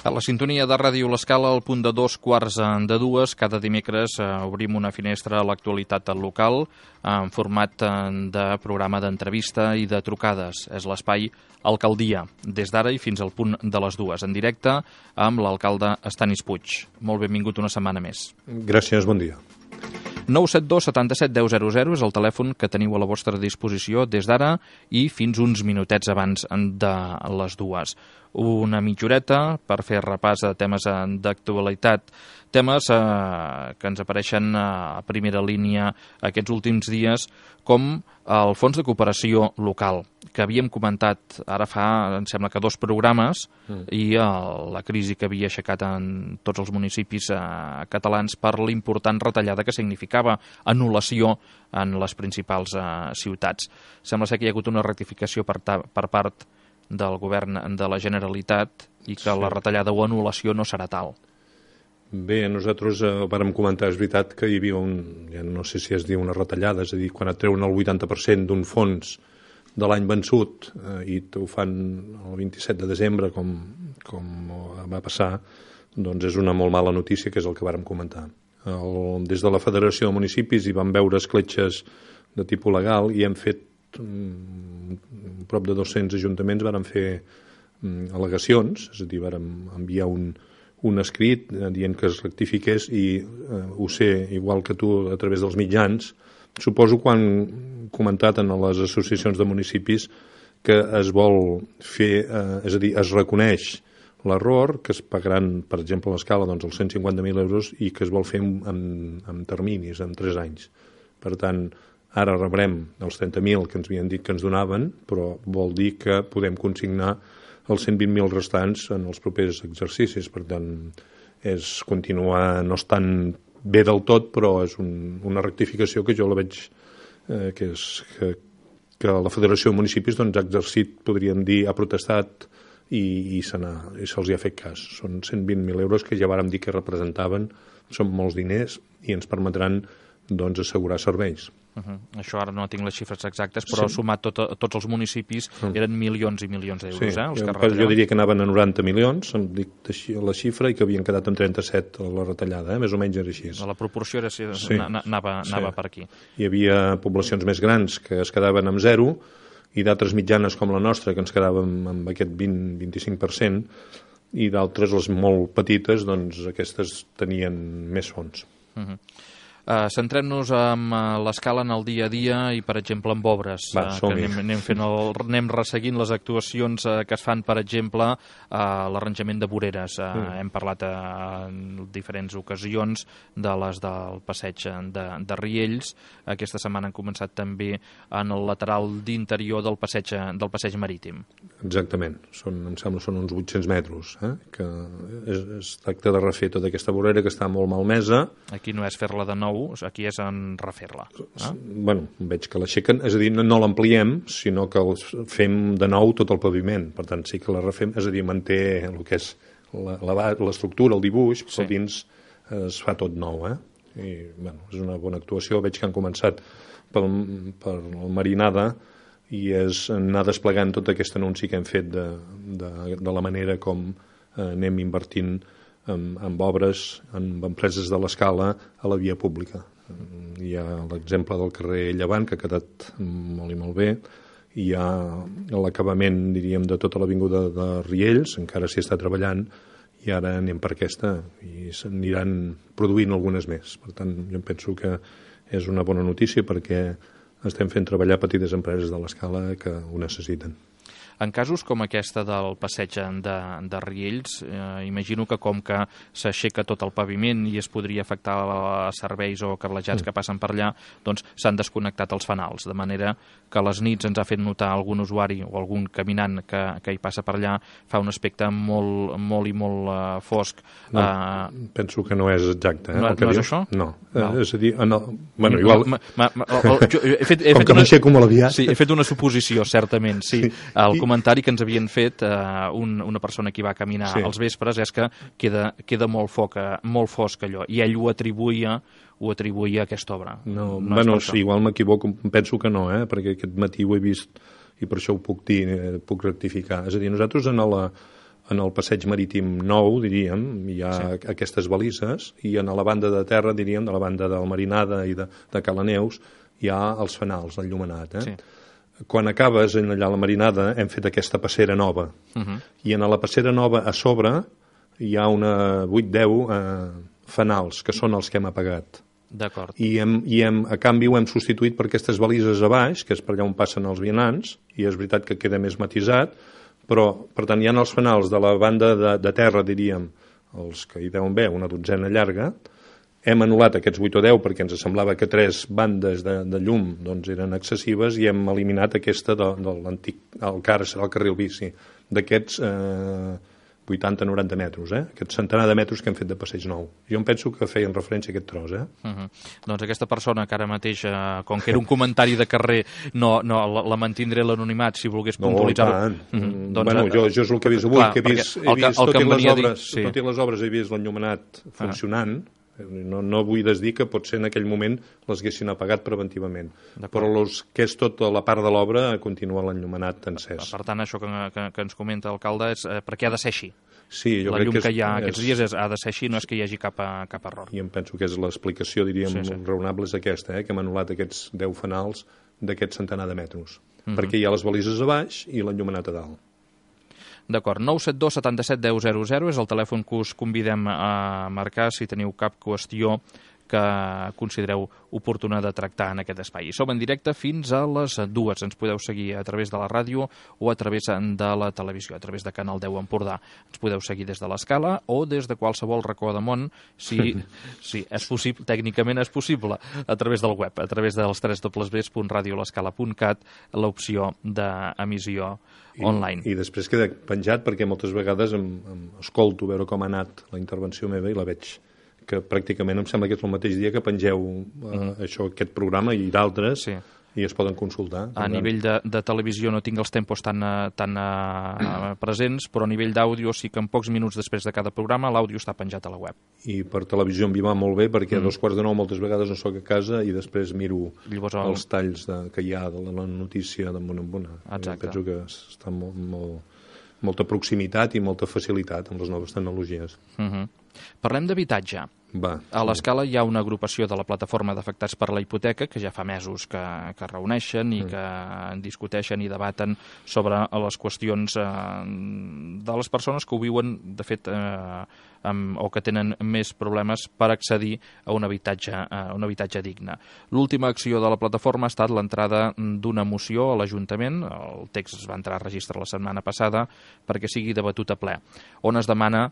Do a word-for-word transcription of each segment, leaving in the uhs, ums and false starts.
A la sintonia de Ràdio L'Escala, al punt de dos quarts de dues, cada dimecres eh, obrim una finestra a l'actualitat local en format de programa d'entrevista i de trucades. És l'espai Alcaldia, des d'ara i fins al punt de les dues, en directe amb l'alcalde Estanis Puig. Molt benvingut una setmana més. Gràcies, bon dia. nou set dos setanta-set deu zero zero és el telèfon que teniu a la vostra disposició des d'ara i fins uns minutets abans de les dues. Una mitjoreta per fer repàs de temes d'actualitat, temes eh, que ens apareixen a primera línia aquests últims dies, com el Fons de Cooperació Local, que havíem comentat ara fa, em sembla que dos programes, mm. i el, la crisi que havia aixecat en tots els municipis eh, catalans per l'important retallada que significava anul·lació en les principals eh, ciutats. Sembla ser que hi ha hagut una rectificació per, ta, per part del govern de la Generalitat i que sí. La retallada o anul·lació no serà tal. Bé, nosaltres eh, vàrem comentar, és veritat que hi havia un, ja no sé si es diu una retallada, és a dir, quan et treuen el vuitanta per cent d'un fons de l'any vençut eh, i ho fan el vint-i-set de desembre, com, com va passar, doncs és una molt mala notícia, que és el que vàrem comentar. El, des de la Federació de Municipis hi vam veure escletxes de tipus legal i hem fet prop de dos-cents ajuntaments varen fer al·legacions, és a dir, vàrem enviar un, un escrit dient que es rectifiqués i eh, ho sé, igual que tu, a través dels mitjans. Suposo quan comentat en les associacions de municipis que es vol fer, eh, és a dir, es reconeix l'error, que es pagaran, per exemple, a l'escala, doncs, els cent cinquanta mil euros i que es vol fer en, en terminis, en tres anys. Per tant, ara rebrem els trenta mil que ens havien dit que ens donaven, però vol dir que podem consignar els cent vint mil restants en els propers exercicis. Per tant, és continuar, no estan bé del tot, però és un, una rectificació que jo la veig eh, que, és, que, que la Federació de Municipis doncs, ha exercit, podríem dir, ha protestat i, i se se'ls ha fet cas. Són cent vint mil euros que ja vàrem dir que representaven, són molts diners i ens permetran doncs, assegurar serveis. Uh -huh. Això ara no tinc les xifres exactes, però sí. Sumat tot, tots els municipis uh -huh. eren milions i milions d'euros. Sí. Eh, els que jo diria que anaven a noranta milions, em dic la xifra, i que havien quedat en trenta-set a la retallada, eh? Més o menys era així. La proporció era, sí. anava, sí. anava per aquí. Hi havia poblacions més grans que es quedaven amb zero i d'altres mitjanes com la nostra que ens quedàvem amb aquest vint a vint-i-cinc per cent i d'altres, les molt petites, doncs aquestes tenien més fons. Uh -huh. Uh, Centrem-nos en uh, l'escala en el dia a dia i, per exemple, amb obres. Va, uh, que anem, anem, fent el, anem resseguint les actuacions uh, que es fan, per exemple, a uh, l'arranjament de voreres. Uh, mm. Hem parlat uh, en diferents ocasions de les del passeig de, de Riells. Aquesta setmana han començat també en el lateral d'interior del passeig, del passeig marítim. Exactament. Són, em sembla són uns vuit-cents metres. Eh? Que es, es tracta de refer tota aquesta vorera que està molt malmesa. Aquí no és fer-la de nou, aquí és en refer-la. Eh? Bueno, veig que l'aixequen, és a dir, no, no l'ampliem, sinó que fem de nou tot el paviment, per tant sí que la refem, és a dir, manté el que és l'estructura, el dibuix, però sí. Dins es fa tot nou, eh? I, bueno, és una bona actuació, veig que han començat per, per la marinada i és anar desplegant tot aquest anunci que hem fet de, de, de la manera com eh, anem invertint Amb, amb obres, amb empreses de l'escala a la via pública. Hi ha l'exemple del carrer Llevant, que ha quedat molt i molt bé. Hi ha l'acabament, diríem, de tota l'avinguda de Riells, encara s'hi està treballant, i ara anem per aquesta, i s'aniran produint algunes més. Per tant, jo penso que és una bona notícia perquè estem fent treballar petites empreses de l'escala que ho necessiten. En casos com aquesta del passeig de, de Riells, eh, imagino que com que s'aixeca tot el paviment i es podria afectar a serveis o cablejats mm. que passen per allà, doncs s'han desconnectat els fanals, de manera que a les nits ens ha fet notar algun usuari o algun caminant que, que hi passa per allà, fa un aspecte molt, molt i molt uh, fosc. No, uh, penso que no és exacte. Eh, no, el que no dius. És això? No, no. Eh, és a dir, no. Bueno, igual... Ma, ma, ma, o, jo, he fet, he com fet que una... m'aixeco molt aviat. Sí, he fet una suposició, certament, sí. sí. El I... comentari que ens havien fet uh, un, una persona que va caminar sí. als vespres és que queda, queda molt, foca, molt fosc allò, i ell ho atribuïa ho atribuïa a aquesta obra. No, no bueno, sí, igual m'equivoco, penso que no, eh? Perquè aquest matí ho he vist i per això ho puc dir, eh, puc rectificar. És a dir, nosaltres en la, en el passeig marítim nou, diríem, hi ha sí. aquestes balises, i a la banda de terra, diríem, de la banda del Marinada i de, de Calaneus, hi ha els fanals, el llumenat. Eh? Sí. Quan acabes allà a la Marinada hem fet aquesta passera nova. Uh -huh. I en la passera nova a sobre hi ha una vuit deu eh, fanals, que són els que hem apagat. D'acord. I, hem, i hem, a canvi ho hem substituït per aquestes balises a baix, que és per allà on passen els vianants, i és veritat que queda més matisat, però, per tant, hi ha els fanals de la banda de, de terra, diríem, els que hi deuen haver, una dotzena llarga. Hem anul·lat aquests vuit o deu perquè ens semblava que tres bandes de, de llum doncs, eren excessives i hem eliminat aquesta de, de l'antic, el car, serà el carril bici, d'aquests eh, vuitanta noranta metres, eh? Aquest centenar de metres que hem fet de passeig nou. Jo em penso que feien referència a aquest tros, eh? Uh -huh. Doncs aquesta persona que ara mateix, eh, com que era un comentari de carrer, no, no la, la mantindré l'anonimat, si volgués puntualitzar-ho. No, uh -huh. doncs, bueno, jo, jo és el que he vist avui, clar, que he vist, he vist tot, i les obres, sí. tot i les obres he vist l'enllumenat funcionant. Uh -huh. No, no vull desdir que potser en aquell moment les haguessin apagat preventivament, però los, que és tota la part de l'obra continua l'enllumenat encès. Per tant, això que, que, que ens comenta l'alcalde és eh, perquè ha de ser així. Sí, jo la crec llum que, és, que hi ha és, aquests dies és, ha de ser així, no és que hi hagi cap, cap error. I em penso que és l'explicació, diríem, sí, sí. raonable és aquesta, eh, que hem anul·lat aquests deu fanals d'aquest centenar de metres, uh -huh. perquè hi ha les balises a baix i l'enllumenat a dalt. D'acord, nou set dos setanta-set deu zero zero és el telèfon que us convidem a marcar si teniu cap qüestió que considereu oportuna de tractar en aquest espai. Som en directe fins a les dues. Ens podeu seguir a través de la ràdio o a través de la televisió, a través de Canal deu Empordà. Ens podeu seguir des de l'Escala o des de qualsevol racó de món, si, si és possible, tècnicament és possible, a través del web, a través dels w w w punt radio l'escala punt cat, l'opció d'emissió online. I, I després queda penjat perquè moltes vegades em, em escolto veure com ha anat la intervenció meva i la veig que pràcticament em sembla que és el mateix dia que pengeu uh, mm. això, aquest programa i d'altres, sí. i es poden consultar. A nivell de, de televisió no tinc els tempos tan, tan uh, presents, però a nivell d'àudio sí que en pocs minuts després de cada programa l'àudio està penjat a la web. I per televisió em va molt bé perquè mm. a dos quarts de nou moltes vegades no soc a casa i després miro Llavors, el... els talls de, que hi ha de la notícia de bona en bona. Exacte. Penso que està molt, molt, molta proximitat i molta facilitat amb les noves tecnologies. Mm -hmm. Parlem d'habitatge. Va, a l'Escala hi ha una agrupació de la plataforma d'afectats per la hipoteca que ja fa mesos que, que reuneixen i que discuteixen i debaten sobre les qüestions eh, de les persones que ho viuen, de fet, eh, amb, o que tenen més problemes per accedir a un habitatge, a un habitatge digne. L'última acció de la plataforma ha estat l'entrada d'una moció a l'Ajuntament, el text es va entrar a registre la setmana passada, perquè sigui debatut a ple, on es demana,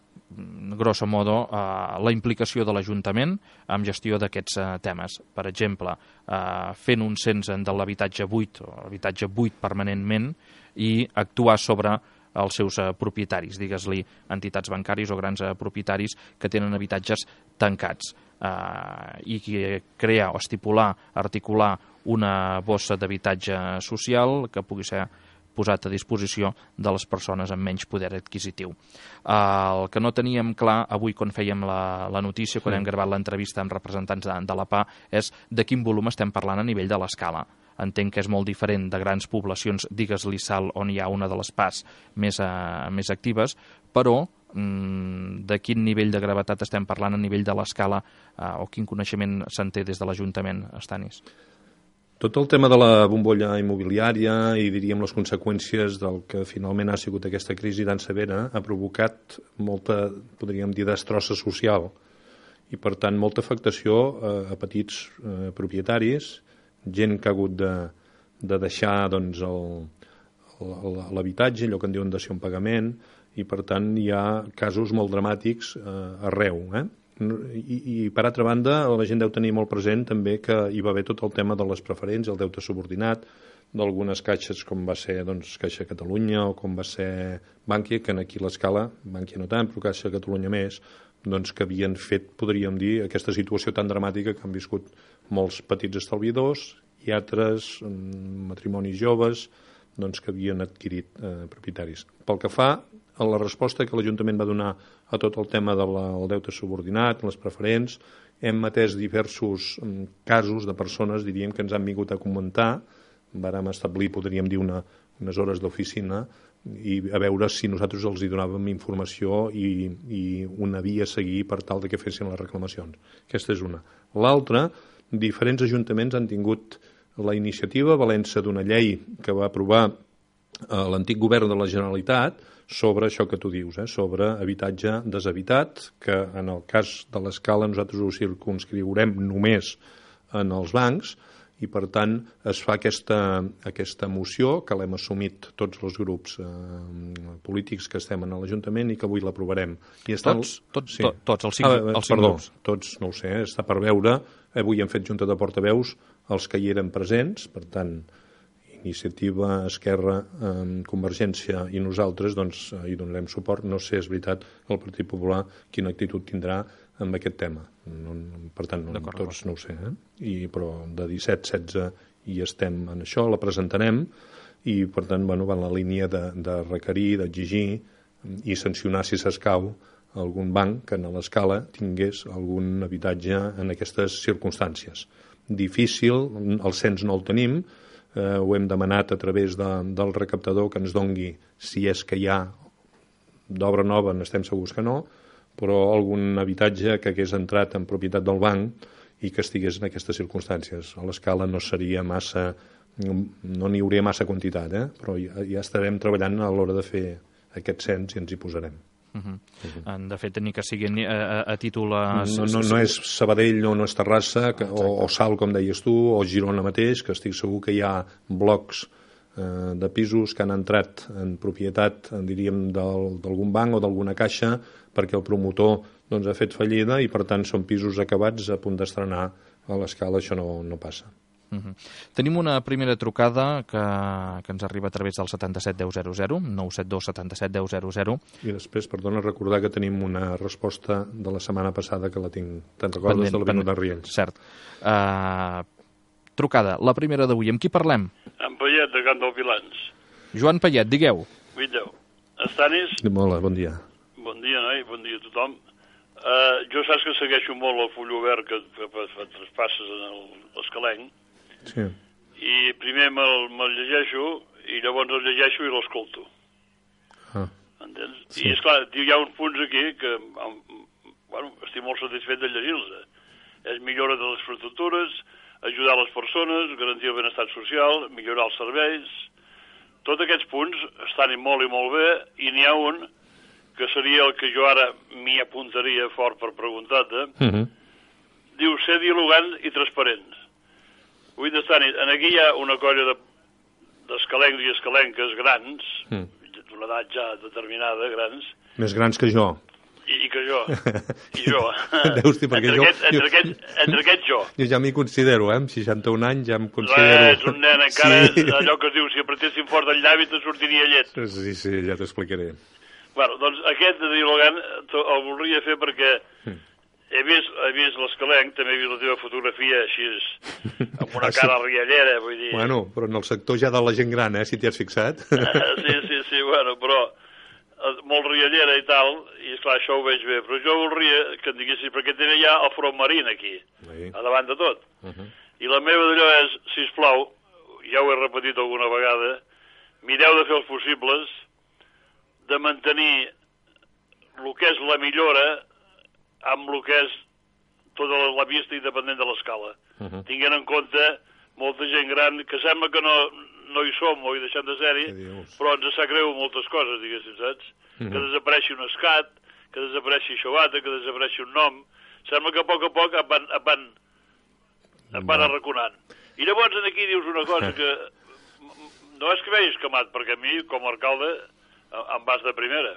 grosso modo, eh, la implicació de l'Ajuntament amb gestió d'aquests eh, temes. Per exemple, eh, fent un cens de l'habitatge buit o habitatge buit permanentment i actuar sobre els seus eh, propietaris, digues-li entitats bancàries o grans eh, propietaris que tenen habitatges tancats eh, i crear o estipular, articular una bossa d'habitatge social que pugui ser posat a disposició de les persones amb menys poder adquisitiu. El que no teníem clar avui quan fèiem la, la notícia, quan sí. hem gravat l'entrevista amb representants de, de la P A, és de quin volum estem parlant a nivell de l'Escala. Entenc que és molt diferent de grans poblacions, digues-li Salt, on hi ha una de les P As més, uh, més actives, però mm, de quin nivell de gravetat estem parlant a nivell de l'Escala uh, o quin coneixement se'n té des de l'Ajuntament, Estanis? Tot el tema de la bombolla immobiliària i, diríem, les conseqüències del que finalment ha sigut aquesta crisi tan severa ha provocat molta, podríem dir, destrossa social i, per tant, molta afectació eh, a petits eh, propietaris, gent que ha hagut de, de deixar doncs, l'habitatge, allò que en diuen dació en pagament, i, per tant, hi ha casos molt dramàtics eh, arreu, eh? I, i per altra banda la gent deu tenir molt present també que hi va haver tot el tema de les preferents, el deute subordinat d'algunes caixes com va ser doncs, Caixa Catalunya o com va ser Bànquia, que aquí l'Escala, Bànquia no tant, però Caixa Catalunya més, doncs que havien fet, podríem dir, aquesta situació tan dramàtica que han viscut molts petits estalviadors i altres matrimonis joves doncs, que havien adquirit eh, propietaris. Pel que fa a la resposta que l'Ajuntament va donar a tot el tema del de deute subordinat, les preferents, hem atès diversos casos de persones, diríem, que ens han vingut a comentar. Vàrem establir, podríem dir, una, unes hores d'oficina, i a veure si nosaltres els hi donàvem informació i, i una via a seguir per tal de que fessin les reclamacions. Aquesta és una. L'altra, diferents ajuntaments han tingut la iniciativa a València d'una llei que va aprovar eh, l'antic govern de la Generalitat sobre això que tu dius, eh, sobre habitatge deshabitat, que en el cas de l'Escala nosaltres ho circumscriurem només en els bancs, i per tant es fa aquesta, aquesta moció que l'hem assumit tots els grups eh, polítics que estem en l'Ajuntament i que avui l'aprovarem. Tots? Tots, sí. to, tots els cinc, ah, els cinc perdó, grups? Tots, no ho sé, està per veure. Avui hem fet junta de portaveus els que hi eren presents, per tant, Iniciativa, Esquerra, eh, Convergència i nosaltres doncs, hi donarem suport. No sé, és veritat, el Partit Popular quina actitud tindrà amb aquest tema. No, per tant, no, tots no ho sé. Eh? I, però de disset a setze hi estem en això, la presentarem i, per tant, bueno, va en la línia de, de requerir, d'exigir i sancionar, si s'escau, algun banc que a l'Escala tingués algun habitatge en aquestes circumstàncies. Difícil, el cens no el tenim, eh, ho hem demanat a través de, del recaptador que ens dongui si és que hi ha d'obra nova, n'estem segurs que no, però algun habitatge que hagués entrat en propietat del banc i que estigués en aquestes circumstàncies. A l'Escala no seria massa, no n'hi hauria massa quantitat, eh? Però ja, ja estarem treballant a l'hora de fer aquest cens i ens hi posarem. Uh -huh. Uh -huh. De fet, ni que sigui a, a, a títol... A... No, no, no és Sabadell o no és Terrassa, que, o, o Salt, com deies tu, o Girona mateix, que estic segur que hi ha blocs eh, de pisos que han entrat en propietat, en diríem, d'algun banc o d'alguna caixa, perquè el promotor doncs, ha fet fallida i, per tant, són pisos acabats a punt d'estrenar. A l'Escala això no, no passa. Uh -huh. Tenim una primera trucada que, que ens arriba a través del setanta-set deu zero zero, nou set dos setanta-set deu zero zero. I després, perdona, recordar que tenim una resposta de la setmana passada que la tinc. Te'n recordes de l'Avinguda de Riells? Cert. Uh, trucada, la primera d'avui. Amb qui parlem? En Payet, de Can del Vilans. Joan Payet, digueu. Viteu. Estanis? Hola, bon dia. Bon dia, noi, bon dia a tothom. Uh, jo saps que segueixo molt el full obert que fa traspasses en l'Escalenc. Sí. I primer me'l me llegeixo i llavors el llegeixo i l'escolto. Ah. Entens? Sí. I, esclar, hi ha uns punts aquí que bueno, estic molt satisfet de llegir-los. És millora de les infraestructures, ajudar les persones, garantir el benestar social, millorar els serveis. Tots aquests punts estan molt i molt bé i n'hi ha un que seria el que jo ara m'hi apuntaria fort per preguntar-te. Uh -huh. Diu, ser dialogant i transparent. Vull estar en aquí hi ha una colla d'escalencs i escalenques grans, mm. d'una edat ja determinada, grans. Més grans que jo. I, i que jo. I jo. Deus dir, perquè entre, jo, aquest, entre, jo, aquest, entre aquest jo. Jo ja m'hi considero, eh? Amb seixanta-un anys ja em considero... Res, un nen, encara sí. Allò que es diu, si apretessin fort el llavi te sortiria llet. Sí, sí, ja t'explicaré. Bueno, doncs aquest de dialogant el voldria fer perquè... Mm. He vist, he vist l'Escalenc, també he vist la teva fotografia així, amb una cara riallera, vull dir... Bueno, però en el sector ja de la gent gran, eh, si t'hi has fixat. Sí, sí, sí, bueno, però molt riallera i tal, i esclar, això ho veig bé, però jo voldria que em diguessis, perquè tenen ja el front marín aquí, sí. A davant de tot. Uh -huh. I la meva d'allò és, sisplau, ja ho he repetit alguna vegada, mireu de fer els possibles de mantenir el que és la millora amb el que és tota la vista independent de l'Escala. Uh -huh. Tinguent en compte molta gent gran que sembla que no, no hi som o hi deixem de ser-hi, però ens sap greu moltes coses, diguéssim, saps? Uh -huh. Que desapareixi un escat, que desapareixi Xobata, que desapareixi un nom. Sembla que a poc a poc em van, em van, em van arraconant. I llavors aquí dius una cosa que no és que vegis escamat, perquè a mi, com a alcalde, em vas de primera.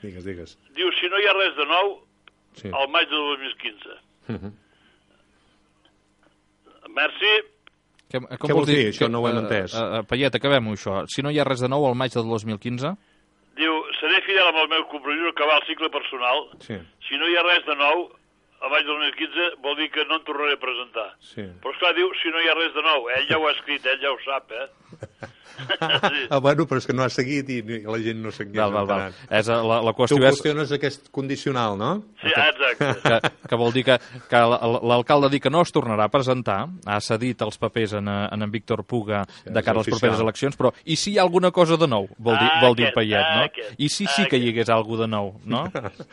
Digues, digues. Dius, si no hi ha res de nou, sí. Al maig de dos mil quinze. Uh -huh. Merci. Què, Què vols dir? dir? Això no ho hem entès. Uh, uh, Payet, acabem-ho, això. Si no hi ha res de nou al maig de dos mil quinze... Diu, seré fidel amb el meu compromís acabar el cicle personal. Sí. Si no hi ha res de nou, al maig de dos mil quinze vol dir que no em tornaré a presentar. Sí. Però, esclar, diu, si no hi ha res de nou. Ell ja ho ha escrit, ell ja ho sap, eh? Sí. Ah, bueno, però és que no ha seguit i la gent no seguia Val, val, val. entenent. És, eh, la, la Tu qüestió és qüestiones aquest condicional, no? Sí, ah, exacte. que, que vol dir que, que l- l'alcalde ha dit que no es tornarà a presentar, ha cedit els papers en, eh, en en Víctor Puga Sí, de cara a és les properes oficial. eleccions, però i si hi ha alguna cosa de nou? Vol dir, Ah, vol dir el aquest, Payet, ah, no? aquest, I si ah, sí que hi aquest. hagués alguna de nou, no?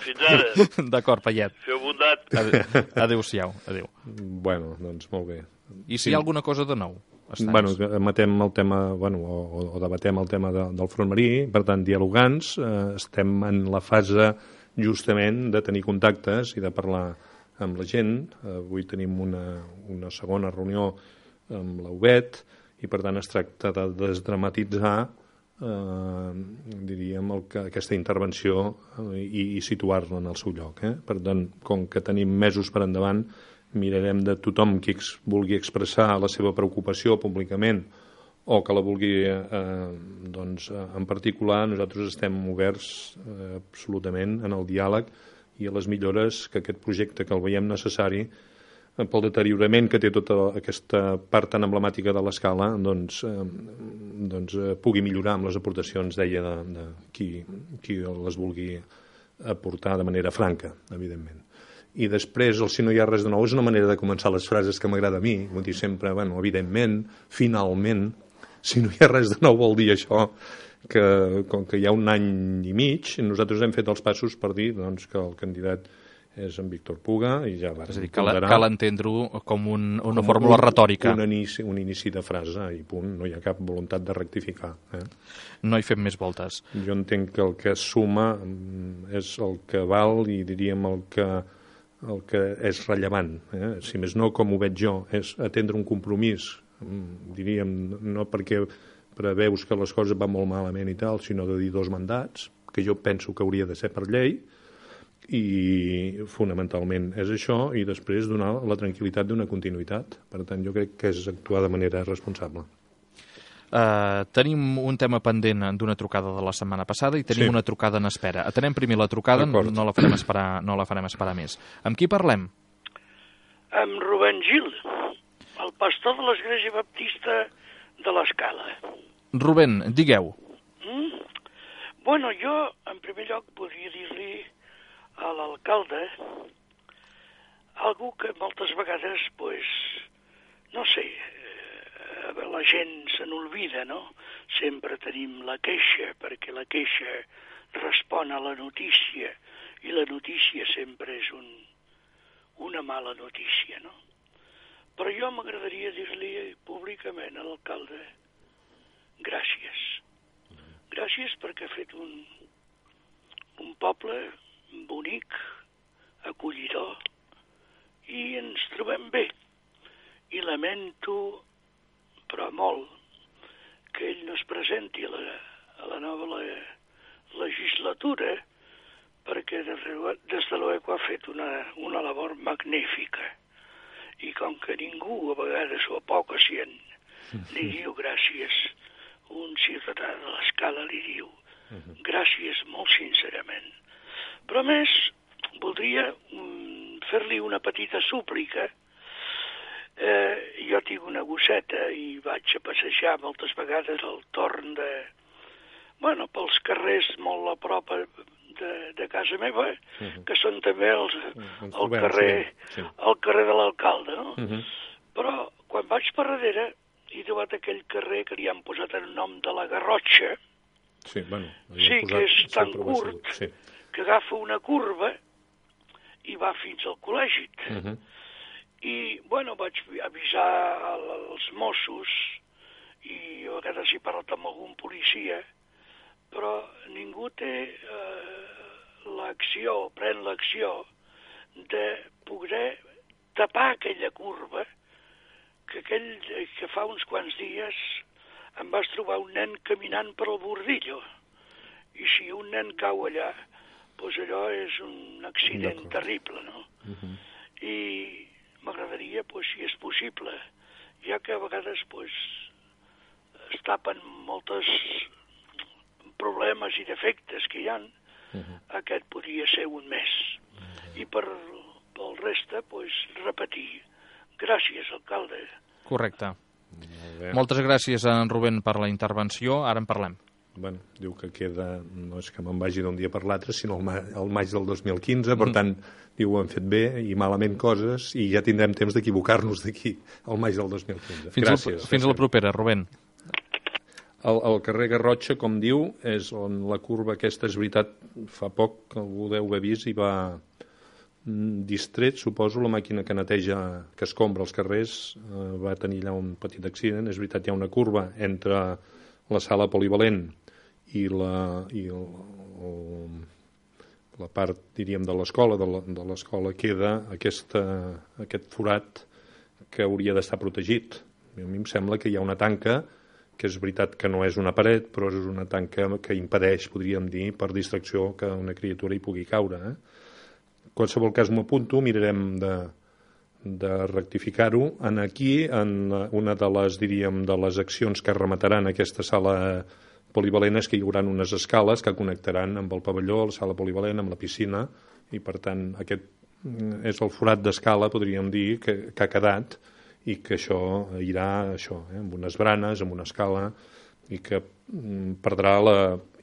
Fins ara. D'acord, Payet. Feu bondat. Adéu- Adéu-siau, adéu. Bueno, doncs molt bé. I si hi ha alguna cosa de nou? Estàs? Bueno, matem el tema, bueno, o, o debatem el tema de, del front marí, per tant, dialogants, eh, estem en la fase justament de tenir contactes i de parlar amb la gent. Eh, avui tenim una, una segona reunió amb la U B E T i, per tant, es tracta de desdramatitzar eh, diríem, el que, aquesta intervenció eh, i, i situar-la en el seu lloc. Eh? Per tant, com que tenim mesos per endavant, mirarem de tothom qui ex, vulgui expressar la seva preocupació públicament o que la vulgui eh, doncs, en particular, nosaltres estem oberts eh, absolutament en el diàleg i a les millores que aquest projecte, que el veiem necessari eh, pel deteriorament que té tota aquesta part tan emblemàtica de l'escala, doncs, eh, doncs eh, pugui millorar amb les aportacions, deia, de, de qui, qui les vulgui aportar de manera franca, evidentment. I després, el si no hi ha res de nou, és una manera de començar les frases que m'agrada a mi, vull dir sempre, bueno, evidentment, finalment, si no hi ha res de nou vol dir això, que com que hi ha un any i mig, nosaltres hem fet els passos per dir doncs, que el candidat és en Víctor Puga i ja va. És a dir, cal, cal entendre-ho com un, una com fórmula un, retòrica. Un inici, un inici de frase i punt, no hi ha cap voluntat de rectificar. Eh? No hi fem més voltes. Jo entenc que el que suma és el que val i diríem el que el que és rellevant, eh? Si més no, com ho veig jo, és atendre un compromís, diríem, no perquè preveus que les coses van molt malament i tal, sinó de dir dos mandats, que jo penso que hauria de ser per llei, i fonamentalment és això, i després donar la tranquil·litat d'una continuïtat. Per tant, jo crec que és actuar de manera responsable. Uh, tenim un tema pendent d'una trucada de la setmana passada i tenim Sí. una trucada en espera. Atenem primer la trucada, no, no la farem esperar, no la farem esperar més. Amb qui parlem? Amb Rubén Gil, el pastor de l'Església Baptista de l'Escala. Rubén, digueu. Mm? Bueno, jo, en primer lloc, podria dir-li a l'alcalde algú que moltes vegades, pues, no sé, la gent se n'olvida, no? Sempre tenim la queixa, perquè la queixa respon a la notícia, i la notícia sempre és un, una mala notícia, no? Però jo m'agradaria dir-li públicament a l'alcalde gràcies. Gràcies perquè ha fet un, un poble bonic, acollidor, i ens trobem bé. I lamento, però molt, que ell no es presenti a la, a la nova la, legislatura, perquè des de l'O ha fet una, una labor magnífica. I com que ningú, a vegades, o poc o cient, li diu gràcies, un ciutadà de l'Escala li diu gràcies molt sincerament. Però a més, voldria um, fer-li una petita súplica. Eh, jo tinc una gosseta i vaig a passejar moltes vegades al torn de... Bueno, pels carrers molt a prop de, de casa meva, uh-huh. que són també els, el, trobem, carrer, sí, sí. el carrer de l'alcalde, no? Uh-huh. Però quan vaig per darrere he trobat aquell carrer que li han posat el nom de la Garrotxa, sí, bueno, sí que és tan curt, sí. que agafa una curva i va fins al col·legi. Uh-huh. I, bueno, vaig avisar als Mossos i a vegades he parlat amb algun policia, però ningú té eh, l'acció, pren l'acció de poder tapar aquella curva que, aquell, que fa uns quants dies em vas trobar un nen caminant per el bordillo. I si un nen cau allà, doncs allò és un accident terrible, no? Uh-huh. I m'agradaria, pues, si és possible, ja que a vegades pues, es tapen moltes problemes i defectes que hi ha, uh-huh. aquest podria ser un més. Uh-huh. I per, pel resta, pues, repetir. Gràcies, alcalde. Correcte. Moltes gràcies a en Rubén per la intervenció. Ara en parlem. Bueno, diu que queda, no és que me'n vagi d'un dia per l'altre, sinó el, ma el maig del dos mil quinze, per tant, diu, ho hem fet bé i malament coses i ja tindrem temps d'equivocar-nos d'aquí al maig del dos mil quinze. Fins, gràcies. A, fins a la propera, Rubén. El, el carrer Garrotxa, com diu, és on la curva aquesta, és veritat, fa poc que algú deu haver vist i va distret, suposo, la màquina que neteja, que escombra els carrers, eh, va tenir allà un petit accident. És veritat, hi ha una curva entre la sala polivalent i la, i el, el, la part, diríem, de l'escola, de l'escola queda aquesta, aquest forat que hauria d'estar protegit. A mi em sembla que hi ha una tanca, que és veritat que no és una paret, però és una tanca que impedeix, podríem dir, per distracció, que una criatura hi pugui caure. Eh? En qualsevol cas m'ho apunto, mirarem de, de rectificar-ho. En aquí, en una de les, diríem, de les accions que remataran aquesta sala polivalent és que hi haurà unes escales que connectaran amb el pavelló, la sala polivalent, amb la piscina, i per tant aquest és el forat d'escala, podríem dir, que, que ha quedat, i que això irà això, eh, amb unes branes, amb una escala, i que mm, perdrà la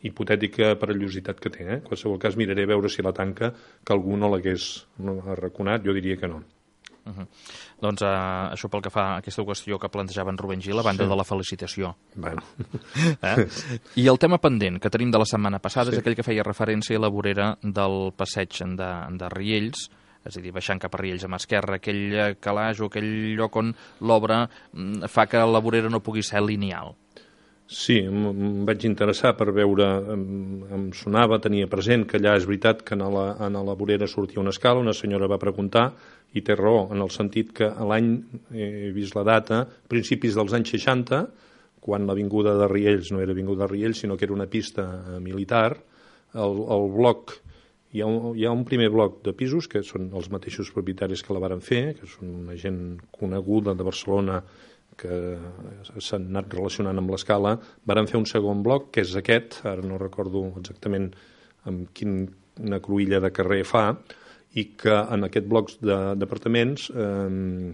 hipotètica perillositat que té. Eh? En qualsevol cas miraré a veure si la tanca, que algú no l'hagués no arraconat, jo diria que no. Uh -huh. Doncs uh, això pel que fa a aquesta qüestió que plantejava en Rubén Gil, a banda sí. de la felicitació. Bueno. Eh? I el tema pendent que tenim de la setmana passada sí. és aquell que feia referència a la vorera del passeig de, de Riells, és a dir, baixant cap a Riells a mà esquerra, aquell calaix o aquell lloc on l'obra fa que la vorera no pugui ser lineal. Sí, em vaig interessar per veure, em, em sonava, tenia present que allà és veritat que a la, a la vorera sortia una escala, una senyora va preguntar, i té raó, en el sentit que l'any, he vist la data, principis dels anys seixanta, quan l'avinguda de Riells no era avinguda de Riells, sinó que era una pista militar, el, el bloc, hi ha, un, hi ha un primer bloc de pisos, que són els mateixos propietaris que la varen fer, que són una gent coneguda de Barcelona, que s'han anat relacionant amb l'escala, varen fer un segon bloc, que és aquest, ara no recordo exactament amb quina cruïlla de carrer fa, i que en aquest bloc d'apartaments eh,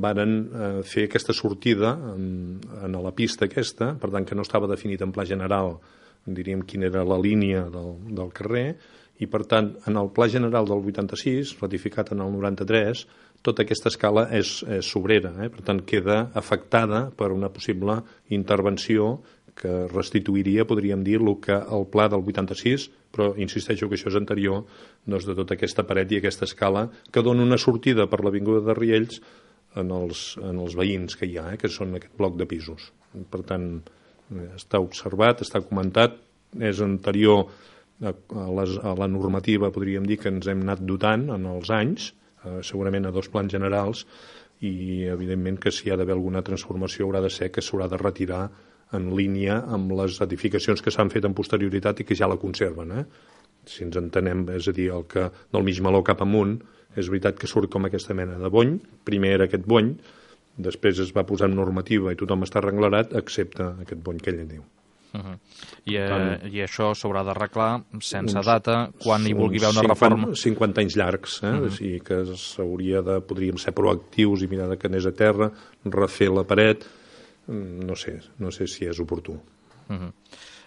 varen eh, fer aquesta sortida en, en la pista aquesta, per tant que no estava definit en pla general, diríem quina era la línia del, del carrer, i per tant en el pla general del vuitanta-sis, ratificat en el noranta-tres, tota aquesta escala és, és sobrera, eh? Per tant queda afectada per una possible intervenció que restituiria, podríem dir, el que el pla del vuitanta-sis, però insisteixo que això és anterior, doncs, de tota aquesta paret i aquesta escala que dona una sortida per l'avinguda de Riells en els, en els veïns que hi ha, eh? Que són aquest bloc de pisos. Per tant, està observat, està comentat, és anterior a, a, les, a la normativa, podríem dir, que ens hem anat dotant en els anys, segurament a dos plans generals, i evidentment que si hi ha d'haver alguna transformació haurà de ser que s'haurà de retirar en línia amb les edificacions que s'han fet en posterioritat i que ja la conserven. Eh? Si ens entenem, és a dir, el que del mig meló cap amunt, és veritat que surt com aquesta mena de bony, primer era aquest bony, després es va posar en normativa i tothom està arreglarat, excepte aquest bony que ell en diu. Uh -huh. I, eh, I això s'haurà d'arreglar sense uns, data, quan hi vulgui haver una cinquanta, reforma. cinquanta anys llargs, eh? Uh -huh. O sigui que s'hauria de, podríem ser proactius i mirar de que anés a terra, refer la paret, no sé, no sé si és oportú. Uh -huh.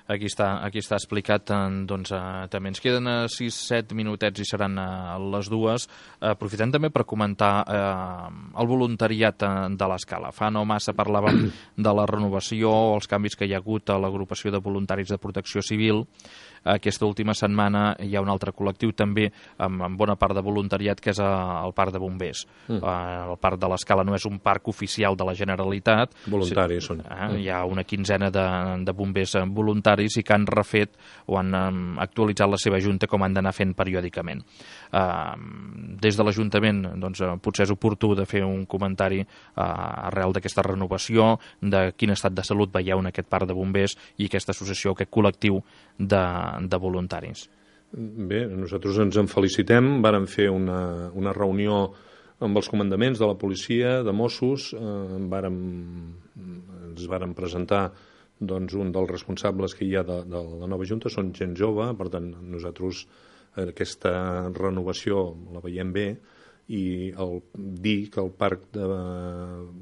Aquí està, aquí està explicat, doncs eh, també ens queden sis set minutets i seran eh, les dues. Eh, aprofitem també per comentar eh, el voluntariat de l'escala. Fa no massa parlàvem de la renovació, els canvis que hi ha hagut a l'agrupació de voluntaris de protecció civil. Aquesta última setmana hi ha un altre col·lectiu també amb, amb bona part de voluntariat, que és el parc de bombers. Mm. Eh, el parc de l'escala no és un parc oficial de la Generalitat. Voluntaris són. Eh, hi ha una quinzena de, de bombers voluntaris i que han refet o han um, actualitzat la seva junta com han d'anar fent periòdicament. Uh, des de l'Ajuntament doncs, potser és oportú de fer un comentari uh, arrel d'aquesta renovació, de quin estat de salut veieu en aquest parc de bombers i aquesta associació, aquest col·lectiu de, de voluntaris. Bé, nosaltres ens en felicitem. Vàrem fer una, una reunió amb els comandaments de la policia, de Mossos, eh, vàrem, ens vàrem presentar doncs, un dels responsables que hi ha de, de la nova Junta, són gent jove, per tant nosaltres aquesta renovació la veiem bé i el dir que el parc de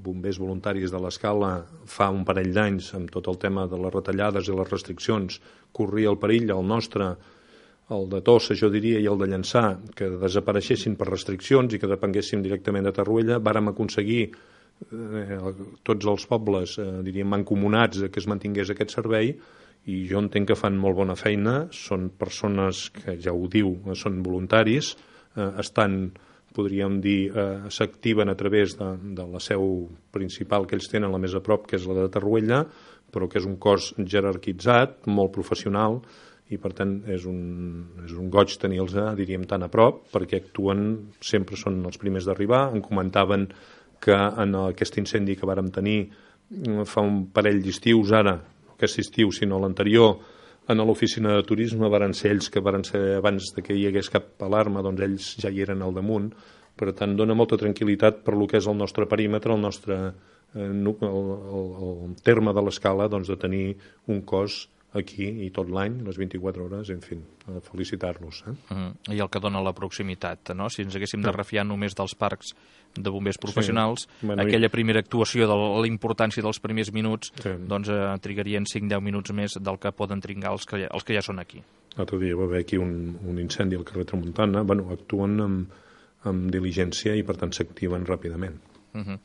bombers voluntaris de l'Escala fa un parell d'anys, amb tot el tema de les retallades i les restriccions, corria el perill, el nostre, el de Tossa, jo diria, i el de Llançà, que desapareixessin per restriccions i que depenguéssim directament de Torroella. Vàrem aconseguir eh, tots els pobles, eh, diríem, mancomunats que es mantingués aquest servei, i jo entenc que fan molt bona feina. Són persones que, ja ho diu, són voluntaris, eh, estan, podríem dir, eh, s'activen a través de, de la seu principal que ells tenen, la més a prop, que és la de Torroella, però que és un cos jerarquitzat, molt professional, i per tant és un, és un goig tenir-los, diríem, tan a prop, perquè actuen, sempre són els primers d'arribar. Em comentaven que en aquest incendi que vàrem tenir fa un parell d'estius, ara, no aquest estiu, sinó l'anterior, en l'oficina de turisme varen ser ells que varen ser abans de que hi hagués cap alarma, doncs ells ja hi eren al damunt. Per tant, dona molta tranquil·litat per lo que és el nostre perímetre, el nostre eh, el, el, el terme de l'Escala, doncs, de tenir un cos aquí i tot l'any, les vint-i-quatre hores, en fi, felicitar-los. Eh? Mm, I el que dona la proximitat, no? Si ens haguéssim de refiar només dels parcs de bombers professionals, sí. Bueno, aquella primera actuació de la importància dels primers minuts, sí. doncs eh, trigarien cinc a deu minuts més del que poden trigar els que, els que ja són aquí. L'altre dia va haver aquí un, un incendi al carrer Tramuntana, bueno, actuen amb, amb diligència i per tant s'activen ràpidament. Uh-huh.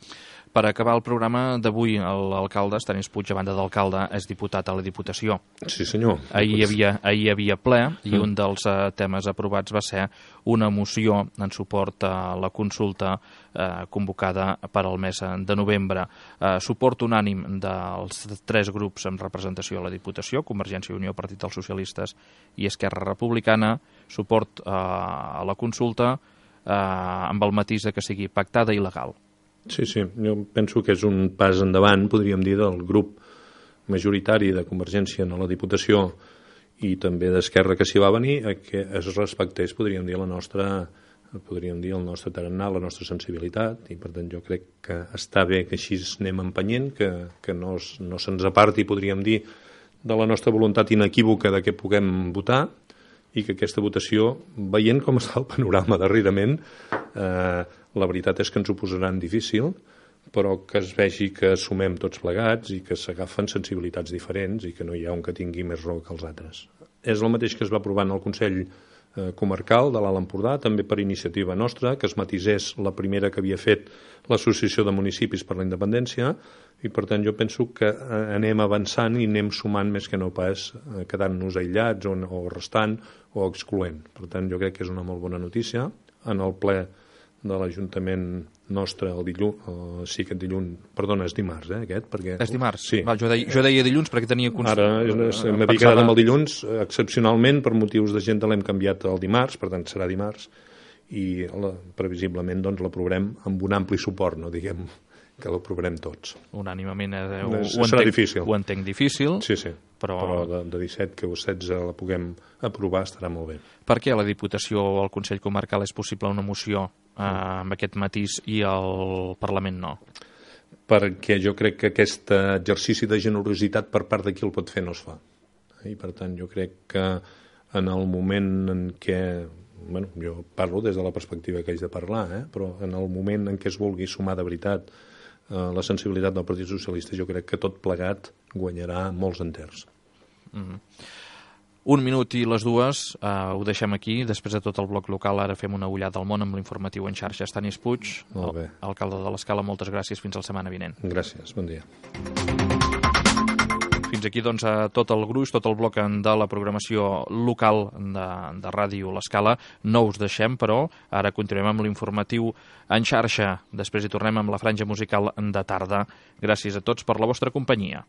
Per acabar el programa d'avui, l'alcalde, Estanis Puig, a banda d'alcalde, és diputat a la Diputació. Sí, senyor. Ahir hi havia, ahir hi havia ple i mm. un dels uh, temes aprovats va ser una moció en suport a la consulta uh, convocada per al mes de novembre. Uh, suport unànim dels tres grups amb representació a la Diputació, Convergència i Unió, Partit dels Socialistes i Esquerra Republicana, suport uh, a la consulta uh, amb el matís de que sigui pactada i legal. Sí, sí, jo penso que és un pas endavant, podríem dir, del grup majoritari de Convergència en la Diputació i també d'Esquerra que s'hi va venir, a que es respectés, podríem dir, la nostra, podríem dir, el nostre tarannà, la nostra sensibilitat, i per tant jo crec que està bé que així anem empenyent, que, que no, no se'ns aparti, podríem dir, de la nostra voluntat inequívoca de que puguem votar, i que aquesta votació, veient com està el panorama darrerament, eh, la veritat és que ens ho posaran difícil, però que es vegi que sumem tots plegats i que s'agafen sensibilitats diferents i que no hi ha un que tingui més raó que els altres. És el mateix que es va aprovar en el Consell eh, Comarcal de l'Alt Empordà, també per iniciativa nostra, que es matisés la primera que havia fet l'Associació de Municipis per la Independència, i per tant jo penso que anem avançant i anem sumant més que no pas eh, quedant-nos aïllats o, o restant o excloent. Per tant jo crec que és una molt bona notícia. En el ple de l'Ajuntament nostre, el dilluns, el, sí, aquest dilluns, perdona, és dimarts, eh, aquest, perquè... És dimarts? Sí. Val, jo, deia, jo deia dilluns perquè tenia... Const... Ara m'havia quedat amb el dilluns, excepcionalment, per motius d'agenda l'hem canviat al dimarts, per tant serà dimarts, i la, previsiblement doncs l'aprovarem amb un ampli suport, no diguem que l'aprovarem tots. Unànimament eh, ho, ho, ho, serà entenc, difícil. Ho entenc difícil, sí, sí. però, però de, de disset que o setze la puguem aprovar estarà molt bé. Per què a la Diputació o al Consell Comarcal és possible una moció eh, amb aquest matís i al Parlament no? Perquè jo crec que aquest exercici de generositat per part de qui el pot fer no es fa. I per tant jo crec que en el moment en què, bueno, jo parlo des de la perspectiva que haig de parlar, eh? però en el moment en què es vulgui sumar de veritat la sensibilitat del Partit Socialista, jo crec que tot plegat guanyarà molts enters. Mm-hmm. Un minut i les dues, eh, ho deixem aquí. Després de tot el bloc local, ara fem una ullada al món amb l'informatiu en xarxa. Estanis Puig, el, alcalde de l'Escala, moltes gràcies. Fins la setmana vinent. Gràcies, bon dia. Fins aquí doncs, tot el gruix, tot el bloc de la programació local de, de Ràdio L'Escala. No us deixem, però ara continuem amb l'informatiu en xarxa. Després hi tornem amb la franja musical de tarda. Gràcies a tots per la vostra companyia.